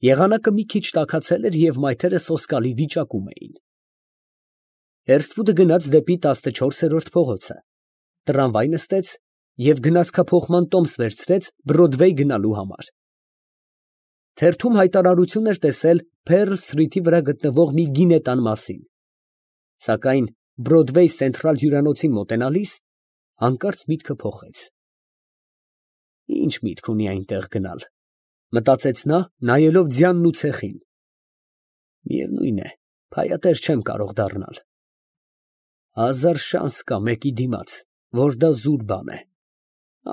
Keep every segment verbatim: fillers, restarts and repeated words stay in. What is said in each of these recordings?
Եղանակը մի քիչ տաքացել էր և մայթերը սոսկալի վիճակում էին։ Հերսվուտը գնաց դեպի տասնչորսերորդ փողոցը, տրամվայ նստեց և գնացքափոխման տոմս վերցրեց Բրոդվեյ գնալու համար։ Թերթում հայտարարություն էր տեսել Փերլ սթրիթի վրա գտնվող մի գինետան մասին, սակայն Բրոդվեյ Սենթրալ հյուրանոցին մոտենալիս հանկարծ միտքը փոխեց։ Ի՞նչ միտք ունի այնտեղ գնալ, մտածեց նա, նայելով ձյանն ու ցեխին։ Միևնույն է, փայատեր չեմ կարող դառնալ։ Հազար շանս կա մեկի դիմաց, որ դա զուր բան է,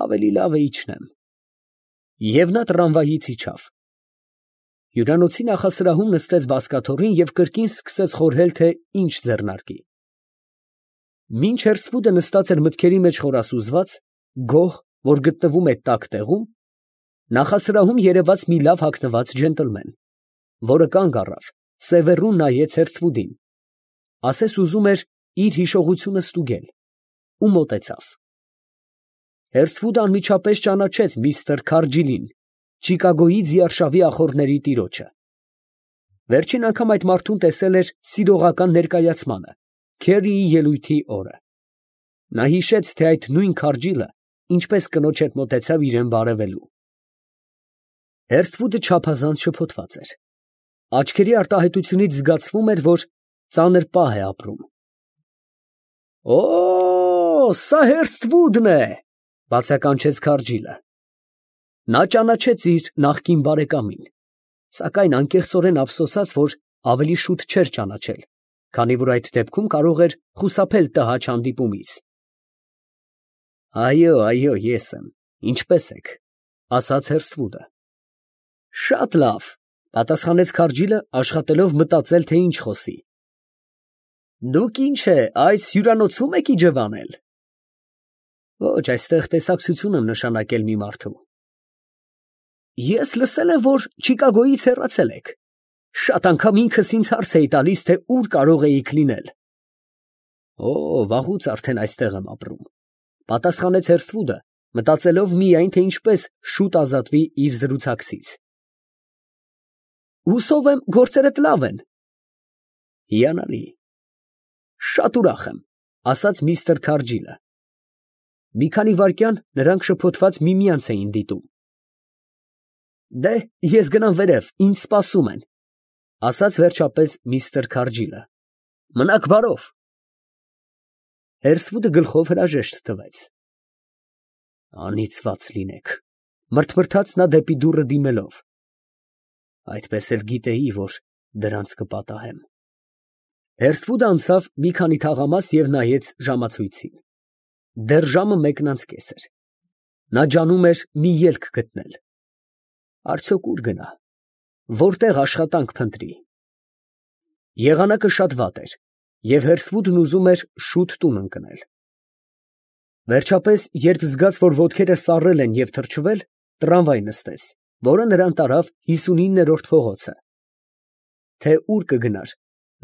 ավելի լավ է իջնեմ։ Եվ նա տրամվայից իջավ։ Հյուրանոցի նախասրահում նստեց բազկաթոռին և կրկին սկսեց խորհել, թե ինչ ձեռնարկի։ Մինչ Հերսվուտը նստած էր մտքերի մեջ խորասուզված, գոհ, որ գտնվում է տաք տեղում, նախասրահում երևաց մի լավ հագնված ջենտլմեն, որը կանգ առավ, սևեռուն նայեց Հերսվուտին, ասես ուզում էր իր հիշողությունը ստուգել, ու մոտեցավ։ Հերսվուտը անմիջապես ճանաչեց միստր Քարջիլին, Չիկագոյի ձիարշավի ախոռների տիրոջը։ Վերջին անգամ այդ մարդուն տեսել էր սիրողական ներկայացմանը, Քերիի ելույթի օրը։ Նա հիշեց, թե այդ նույն Քարջիլը ինչպես կնոջ հետ մոտեցավ իրան բարևելու։ Հերսվուտը չափազանց շփոթված էր։ Աչքերի արտահայտությունից զգացվում էր, որ ծանր պահ է ապրում։ Օ, սա Հերսթվուդն է, բացականչեց Քարջիլը։ Նա ճանաչեց իր նախկին բարեկամին, սակայն անկեղծորեն ափսոսաց, որ ավելի շուտ չէր ճանաչել, քանի որ այդ դեպքում կարող էր խուսափել տհաճ հանդիպումից։ Այո, այո, ես եմ, ինչպե՞ս եք, ասաց Հերսթվուդը։ Շատ լավ, պատասխանեց Քարջիլը, աշխատելով մտածել, թե ինչ խոսի։ Դուք ինչ է, այս հյուրանոցո՞ւմ եք իջևանել։ Ոչ, այստեղ տեսակցություն եմ նշանակել մի մարդու։ Ես լսել եմ, որ Չիկագոյից հեռացել եք։ Շատ անգամ ինքս ինձ հարց էի տալիս, թե ուր կարող էիք լինել։ Օ, վաղուց արդեն այստեղ եմ ապրում, պատասխանեց Հերսթվուդը, մտածելով միայն, թե ինչպես շուտ ազատվի իր զրուցակցից։ Հուսով եմ, գործերդ լավ են։ Հիանալի։ Շատ ուրախ եմ, ասաց միստր Քարջիլը։ Մի քանի վայրկյան նրանք շփոթված միմյանց էին դիտում։ Դե, ես գնամ վերև, ինձ սպասում են, ասաց վերջապես միստր Քարջիլը։ Մնաք բարով։ Հերսվուտը գլխով հրաժեշտ տվեց։ Անիծված լինեք, մրթմրթաց նա դեպի դուռը դիմելով։ Այդպես էլ գիտեի, որ դրանց կպատահեմ։ Հերսվուտը անցավ մի քանի թաղամաս և նայեց ժամացույցին։ Դեռ ժամը մեկն անց կես էր։ Նա ջանում էր մի ելք գտնել։ Արդյոք ուր գնա, որտեղ աշխատանք փնտրի։ Եղանակը շատ վատ էր, և Հերսվուտն ուզում էր շուտ տուն ընկնել։ Վերջապես, երբ զգաց, որ ոտքերը սառել են և թրջվել, տրամվայ նստեց, որը նրան տարավ հիսունիններորդ փողոցը։ Թե ուր կգնար,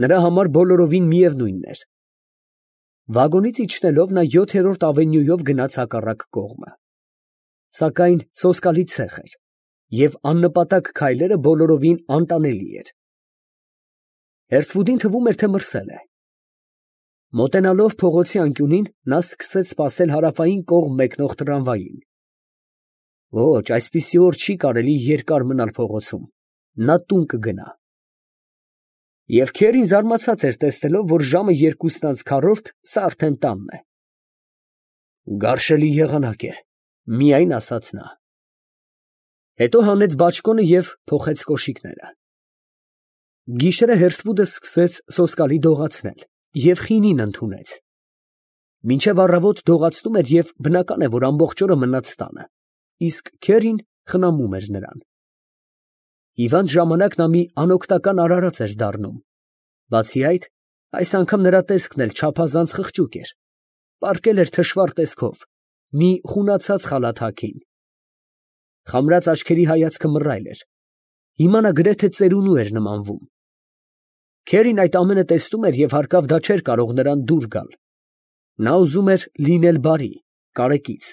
նրա համար բոլորովին միևնույն էր։ Վագոնից իջնելով նա յոթերորդ ավենյուով գնաց հակառակ կողմը։ Սակայն սոսկալի ցեխ էր, և աննպատակ քայլերը բոլորովին անտանելի էր։ Հերսվուտին թվում էր, թե մրսել է։ Մոտենալով փողոցի անկյունին, նա սկսեց սպասել հարավային կողմ մեկնող տրամվային։ Ոչ, այսպիսի օր չի կարելի երկար մնալ փողոցում, նա տուն կգնա։ Եվ Քերին զարմացած էր տեսնելով, որ ժամը երկուսն անց քառորդ, սա արդեն տանն է։ Գարշելի եղանակ է, միայն ասաց նա։ Հետո հանեց բաճկոնը և փոխեց կոշիկները։ Գիշերը Հերսվուտը սկսեց սոսկալի դողացնել և խինին ընդունեց։ Մինչև առավոտ դողացնում էր և բնական է, որ ամբողջ օրը մնաց տանը, իսկ Քերին խնամում էր նրան։ Հիվանդ ժամանակ նա մի անօգնական արարած էր դառնում։ Բացի այդ, այս անգամ նրա տեսքն էլ չափազանց խղճուկ էր, պառկել էր թշվառ տեսքով, մի խունացած խալաթ հագին։ Խամրած աչքերի հայացքը մռայլ էր, հիմա նա գրեթե ծերունու էր նմանվում։ Քերին այդ ամենը տեսնում էր և հարկավ դա չէր կարող նրան դուր գալ։ Նա ուզում էր լինել բարի, կարեկից,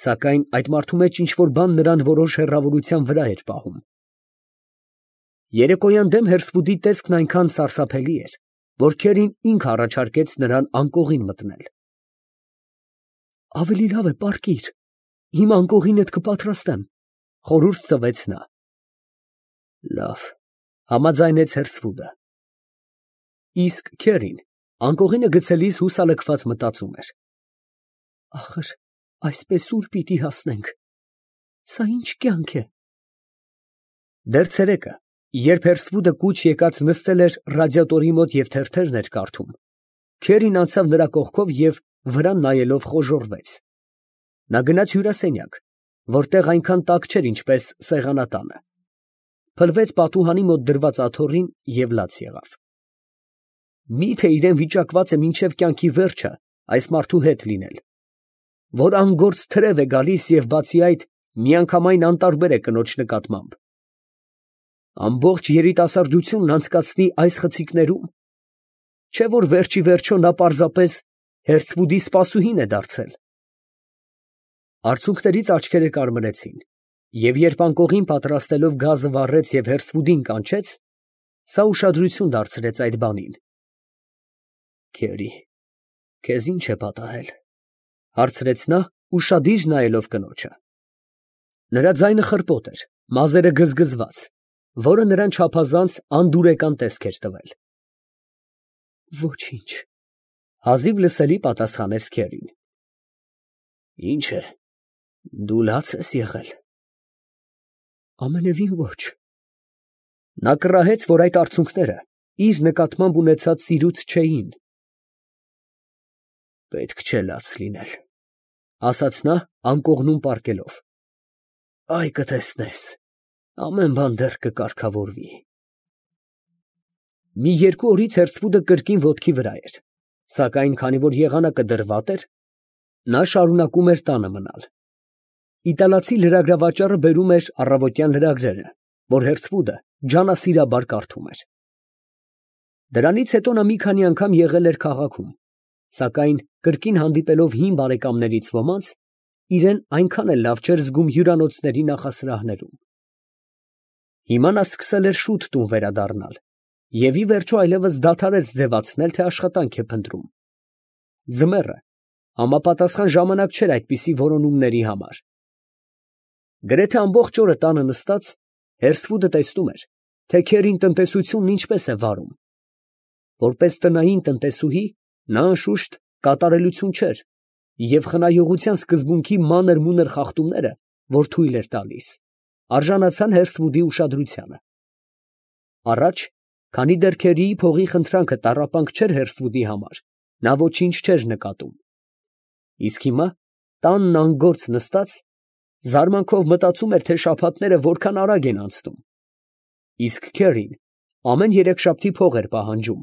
սակայն այդ մարդու մեջ ինչ֊որ բան նրան որոշ հեռավորության վրա էր պահում։ Երեկոյան դեմ Հերսվուդի տեսքն այնքան սարսափելի էր, որ Քերին ինքը առաջարկեց նրան անկողին մտնել։ Ավելի լավ է պառկիր, հիմա անկողինդ կպատրաստեմ, խորհուրդ տվեց նա։ Լավ, համաձայնեց Հերսվուդը։ Իսկ Քերին անկողինը գցելիս հուսալքված մտածում էր. ախր այսպես ուր պիտի հասնենք, սա ինչ կյանք է։ Դեռ ցերեկը, երբ Հերսվուդը կուչ եկած նստել էր ռադիատորի մոտ և թերթերն էր կարդում, Քերին անցավ նրա կողքով և վրան նայելով խոժոռվեց։ Նա գնաց հյուրասենյակ, որտեղ այնքան տաք չէր, ինչպես սեղանատանը, փլվեց պատուհանի մոտ դրված աթոռին և լաց եղավ։ Միթե իրեն վիճակված է մինչև կյանքի վերջը այս մարդու հետ լինել, որ անգործ թրև է գալիս և բացի այդ միանգամայն անտարբեր է կնոջ նկատմամբ։ Ամբողջ երիտասարդությունն անցկացնի այս խցիկներում, չէ՞ որ վերջիվերջո նա պարզապես Հերսվուդի սպասուհին է դարձել։ Արցունքներից աչքերը կարմրեցին, և երբ անկողին պատրաստելով գազը վառեց և Հերսվուդին կանչեց, սա ուշադրություն դարձրեց այդ բանին։ Քերի, քեզ ի՞նչ է պատահել, հարցրեց նա, ուշադիր նայելով կնոջը։ Նրա ձայնը խռպոտ էր, մազերը գզգզված, որը նրան չափազանց անդուրեկան տեսք էր տվել։ Ոչինչ, հազիվ լսելի պատասխանեց Քերին։ Ինչ է, դու լաց ես եղել։ Ամենևին ոչ։ Նա կռահեց, որ այդ արցունքները իր նկատմամբ ունեցած սիրուց չէին։ Պետք չէ լաց լինել, ասաց նա անկողնում պառկելով։ Այ կտեսնես, ամեն բան դեռ կկարգավորվի։ Մի երկու օրից Հերսվուդը կրկին ոտքի վրա էր, սակայն քանի որ եղանակը դեռ վատ էր, նա շարունակում էր տանը մնալ։ Իտալացի լրագրավաճառը բերում էր առավոտյան լրագրերը, որ Հերսվուդը ջանասիրաբար կարդում էր։ Դրանից հետո նա մի քանի անգամ եղել էր քաղաքում, սակայն կրկին հանդիպելով հին բարեկամներից ոմանց, իրեն այնքան էլ լավ չէր զգում հյուրանոցների նախասրահներում։ Հիմա նա սկսել էր շուտ տուն վերադառնալ և ի վերջո այլևս դադարեց ձևացնել, թե աշխատանք է փնտրում։ Ձմեռը համապատասխան ժամանակ չէր այդպիսի որոնումների համար։ Գրեթե ամբողջ օրը տանը նստած, Հերսվուդը տեսնում էր, թե Քերին տնտեսությունն ինչպես է վարում։ Որպես տնային տնտեսուհի, նա անշուշտ կատարելություն չէր և խնայողության սկզբունքի մանր֊մունր խախտումները, որ թույլ էր տալիս, արժանացան Հերսվուդի ուշադրությանը։ Առաջ, քանի դեռ Քերիի փողի խնդրանքը տառապանք չէր Հերսվուդի համար, նա ոչինչ չէր նկատում։ Իսկ հիմա, տանն անգործ նստած, զարմանքով մտածում էր, թե շաբաթները որքան արագ են անցնում։ Իսկ Քերին ամեն երեքշաբթի փող էր պահանջում։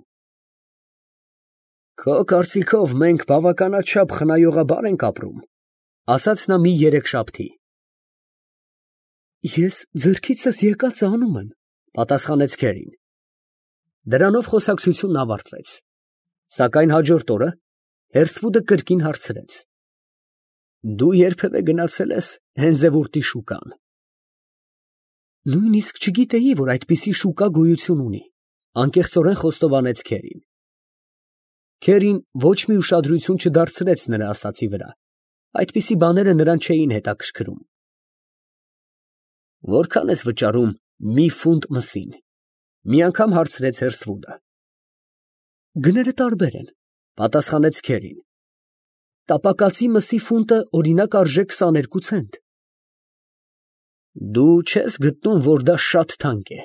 Քո կարծիքով մենք բավականաչափ խնայողաբար ենք ապրում, ասաց նա մի երեքշաբթի։ Ես ձեռքիցս եկածը անում եմ, պատասխանեց Քերին։ Դրանով խոսակցությունն ավարտվեց, սակայն հաջորդ օրը Հերսվուդը կրկին հարցրեց. Դու երբևէ գնացե՞լ ես Հենզևուրտի շուկան։ Նույնիսկ չգիտեի, որ այդպիսի շուկա գոյություն ունի, անկեղծորեն խոստովանեց Քերին։ Քերին ոչ մի ուշադրություն չդարձրեց նրա ասածի վրա, այդպիսի բաները նրան չէին հետաքրքրում։ Որքան ես վճարում մի ֆունտ մսին, մի անգամ հարցրեց Հերսվուդը։ Գները տարբեր են, պատասխանեց Քերին։ Տապակացի մսի ֆունտը օրինակ արժե քսաներկու ցենտ։ Դու չես գտնում, որ դա շատ թանկ է։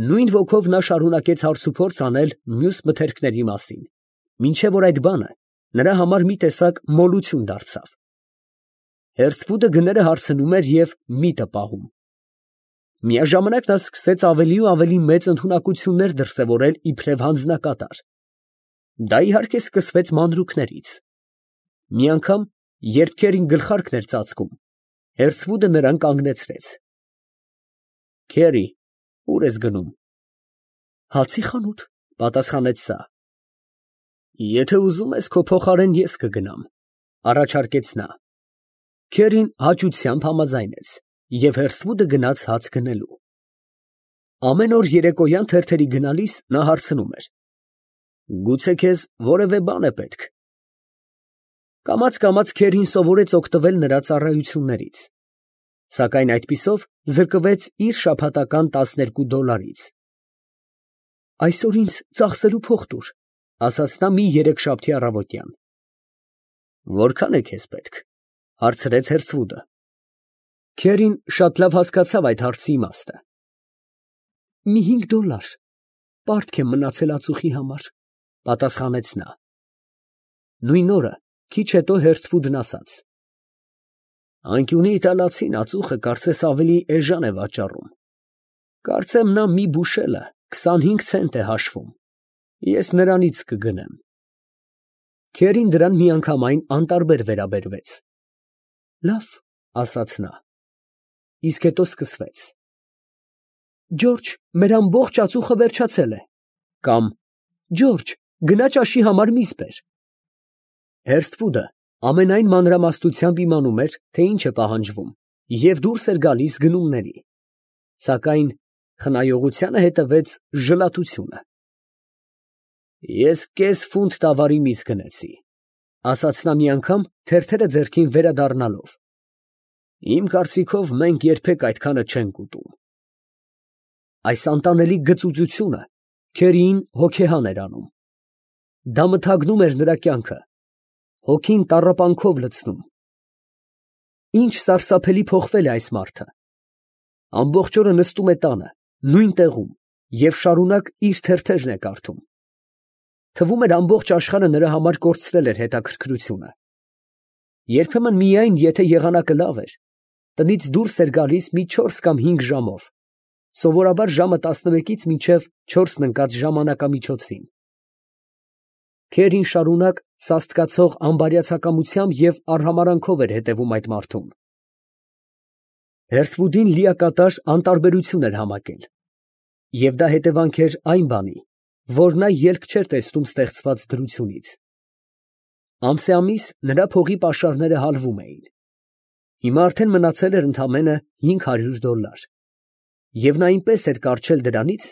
Նույն ոգով նա շարունակեց հարցուփորձ անել մյուս մթերքների մասին, մինչև որ այդ բանը նրա համար մի տեսակ մոլություն դարձավ։ Հերսվուդը գները հարցնում էր և միտը պահում։ Միաժամանակ նա սկսեց ավելի ու ավելի մեծ ընդունակություններ դրսևորել իբրև հանձնակատար։ Դա իհարկե սկսվեց մանրուքներից։ Մի անգամ, երբ Քերին գլխարկն էր ծածկում, Հերսվուդը նրան կանգնեցրեց։ Քերի, ո՞ւր ես գնում։ Հացի խանութ, պատասխանեց նա։ Եթե ուզում ես, քո փոխարեն ես կգնամ, առաջարկեց նա։ Քերին հաճությամբ համաձայնեց, և Հերսվուդը գնաց հաց գնելու։ Ամեն օր երեկոյան թերթերի գնալիս նա հարցնում էր. «Գուցե քեզ որևէ բան է պետք»։ Կամաց֊կամաց Քերին սովորեց օգտվել նրա ծառայություններից, սակայն այդպիսով զրկվեց իր շաբաթական տասներկու դոլարից։ «Այսօր ինձ ծախսելու փող տուր», ֊ ասաց նա մի երեքշաբթի առավոտյան։ «Որքան է քեզ պետք», ֊ հարցրեց Հերսվուդը։ Քերին շատ լավ հասկացավ այդ հարցի իմաստը։ «Մի հինգ դոլար, պարտք եմ մնացել ածուխի համար», ֊ պատասխանեց նա։ Նույն օրը քիչ հետո Հերսվուդն ասաց. «Անկյունի իտալացին ածուխը կարծես ավելի էժան է վաճառում. կարծեմ նա մի բուշելը քսանհինգ ցենտ է հաշվում, ես նրանից կգնեմ»։ Քերին դրան միանգամայն անտարբեր վերաբերվեց։ «Լավ», ֊ ասաց նա։ Իսկ հետո սկսվեց. «Ջորջ, մեր ամբողջ ածուխը վերջացել է» կամ «Ջորջ, գնա ճաշի համար միս բեր»։ Հերսթվուդը ամենայն մանրամասնությամբ իմանում էր, թե ինչ է պահանջվում, և դուրս էր գալիս գնումների, սակայն խնայողությանը հետևեց ժլատությունը։ «Ես կես ֆունտ տավարի միս գնեցի», ֊ ասաց նա մի անգամ թերթերը ձեռքին վերադառնալով։ «Իմ կարծիքով մենք երբեք այդքանը չենք ուտում»։ Այս անտանելի գծուծությունը Քերիին հոգեհան էր անում։ Դա մթագնում էր նրա կյանքը, հոգին տառապանքով լցնում։ Ինչ սարսափելի փոխվել է այս մարդը։ Ամբողջ օրը նստում է տանը, նույն տեղում և շարունակ իր թերթերն է կարդում։ Թվում էր ամբողջ աշխարհը նրա համար կորցրել էր հետաքրքրությունը։ Երբեմն միայն, եթե եղանակը լավ էր, տնից դուրս էր գալիս մի չորս կամ հինգ ժամով, սովորաբար ժամը տասնմեկից մինչև չորսն ընկած ժամանակամիջոցին։ Քերին շարունակ սաստկացող անբարյացակամությամբ և արհամարհանքով էր հետևում այդ մարդուն։ Հերսվուդին լիակատար անտարբերություն էր համակել, և դա հետևանք էր այն բանի, որ նա ելք չէր տեսնում ստեղծված դրությունից։ Ամսեամիս նրա փողի պաշարները հալվում էին։ Հիմա արդեն մնացել էր ընդամենը հինգ հարյուր դոլար, և նա այնպես էր կառչել դրանից,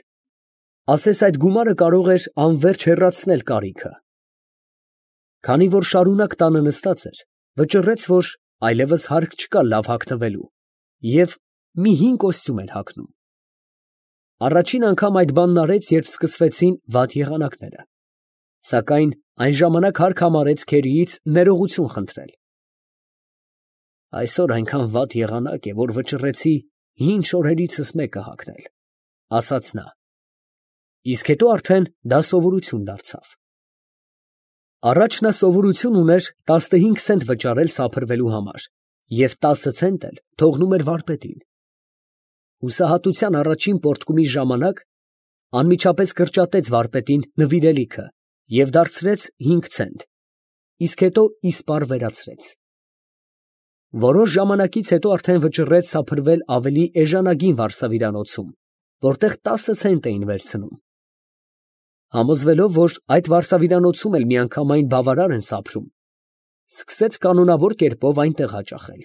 ասես այդ գումարը կարող էր անվերջ հեռացնել կարիքը։ Քանի որ շարունակ տանը նստած էր, վճռեց, որ այլևս հարկ չկա լավ հագնվելու, և մի հին կոստյում էր հագնում։ Առաջին անգամ այդ բանն արեց, երբ սկսվեցին վատ եղանակները, սակայն այն ժամանակ հարկ համարեց Քերիից ներողություն խնդրել։ «Այսօր այնքան վատ եղանակ է, որ վճռեցի հին շորերիցս մեկը հագնել», ֊ ասաց նա։ Իսկ հետո արդեն դա սովորություն դարձավ։ Առաջ նա սովորություն ուներ տասնհինգ ցենտ վճարել սափրվելու համար և տասը ցենտ էլ թողնում էր վարպետին։ Հուսահատության առաջին պոռթկումի ժամանակ անմիջապես կրճատեց վարպետին նվիրելիքը և դարձրեց հինգ ցենտ, իսկ հետո իսպառ վերացրեց։ Որոշ ժամանակից հետո արդեն վճռեց սափրվել ավելի էժանագին վարսավիրանոցում, որտեղ տասը ցենտ էին վերցնում։ Համոզվելով, որ այդ վարսավիրանոցում էլ միանգամայն բավարար են սափրում, սկսեց կանոնավոր կերպով այնտեղ հաճախել։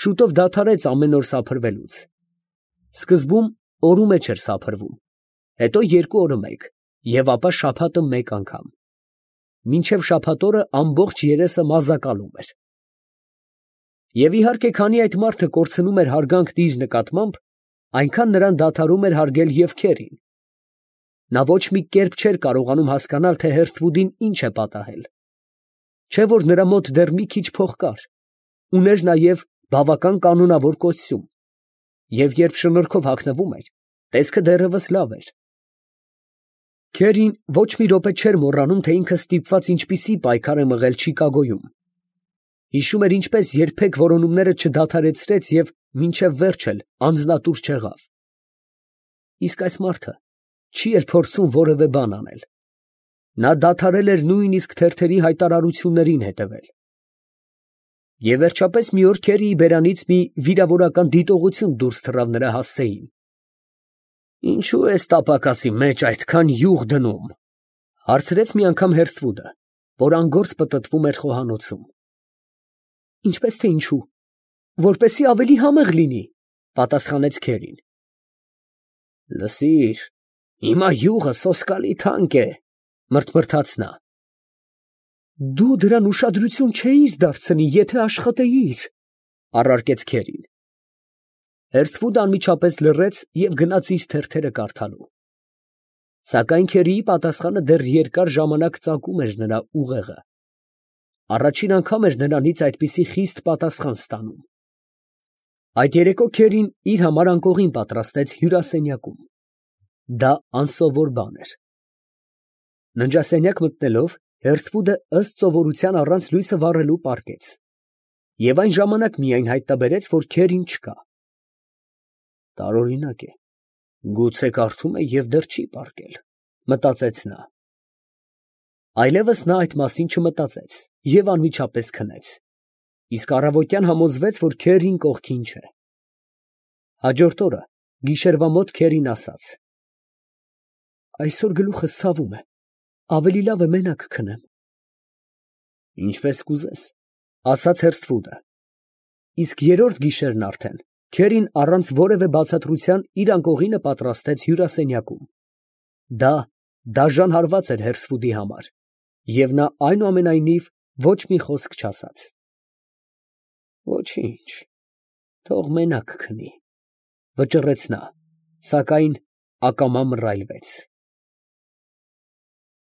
Շուտով դադարեց ամեն օր սափրվելուց։ Սկզբում օրու մեջ էր սափրվում, հետո երկու օրը մեկ և ապա շաբաթը մեկ անգամ, մինչև շաբաթ օրը ամբողջ երեսը մազակալում էր։ Եվ իհարկե, քանի այդ մարդը կորցնում էր հարգանքն իր նկատմամբ, այնքան նրան դադարում էր հարգել և Քերին։ Նա ոչ մի կերպ չէր կարողանում հասկանալ, թե Հերսթվուդին ինչ է պատահել։ Չէ՞ որ նրա մոտ դեռ մի քիչ փող կար, ուներ նաև բավական կանոնավոր կոստյում, և երբ շնորհքով հագնվում էր, տեսքը դեռևս լավ էր։ Քերին ոչ մի րոպե չէր մոռանում, թե ինքը ստիպված ինչպիսի պայքար է մղել Չիկագոյում։ Հիշում էր, ինչպես երբեք որոնումները չդադարեցրեց և մինչև վերջ էլ անձնատուր չեղավ։ Իսկ այս մարդը չի էլ փորձում որևէ բան անել։ Նա դադարել էր նույնիսկ թերթերի հայտարարություններին հետևել։ Եվ վերջապես մի օր Քերիի բերանից մի վիրավորական դիտողություն դուրս թռավ նրա հասցեին։ «Ինչո՞ւ ես տապակացի մեջ այդքան յուղ դնում», ֊ հարցրեց մի անգամ Հերսթվուդը, որ անգործ պտտվում էր խոհանոցում։ «Ինչպես թե ինչու, որպեսզի ավելի համեղ լինի», ֊ պատասխանեց Քերին։ Լսիր, հիմա յուղը սոսկալի թանկ է, մրթմրթաց նա։ Դու դրան ուշադրություն չէիր դարձնի, եթե աշխատեիր, առարկեց քերին։ Հերսվուդը անմիջապես լռեց և գնաց իր թերթերը կարդալու։ Սակայն քերիի պատասխանը դեռ երկար ժամանակ ծակում էր նրա ուղեղը։ Առաջին անգամ էր նրանից այդպիսի խիստ պատասխան ստանում։ Այդ երեկո քերին իր համար անկողին պատրաստեց հյուրասենյակում։ Դա անսովոր բան էր։ Ննջասենյակ մտնելով, Հերսվուդը ըստ սովորության առանց լույսը վառելու պառկեց, և այն ժամանակ միայն հայտնաբերեց, որ քերին չկա։ Տարօրինակ է, գուցե կարդում է և դեռ չի պառկել, մտածեց նա։ Այլևս նա այդ մասին չմտածեց և անմիջապես քնեց, իսկ առավոտյան համոզվեց, որ քերին կողքին չէ։ Հաջորդ օրը գիշերվա մոտ քերին ասաց. Այսօր գլուխս ցավում է, ավելի լավ է մենակ քնեմ։ Ինչպես կուզես, ասաց Հերսվուդը։ Իսկ երրորդ գիշերն արդեն քերին առանց որևէ բացատրության իր անկողինը պատրաստեց հյուրասենյակում։ Դա դաժան հարված էր Հերսվուդի համար, և նա այնուամենայնիվ ոչ մի խոսք չասաց։ Ոչինչ, թող մենակ քնի, վճռեց նա, սակայն ակամա մռայլվեց։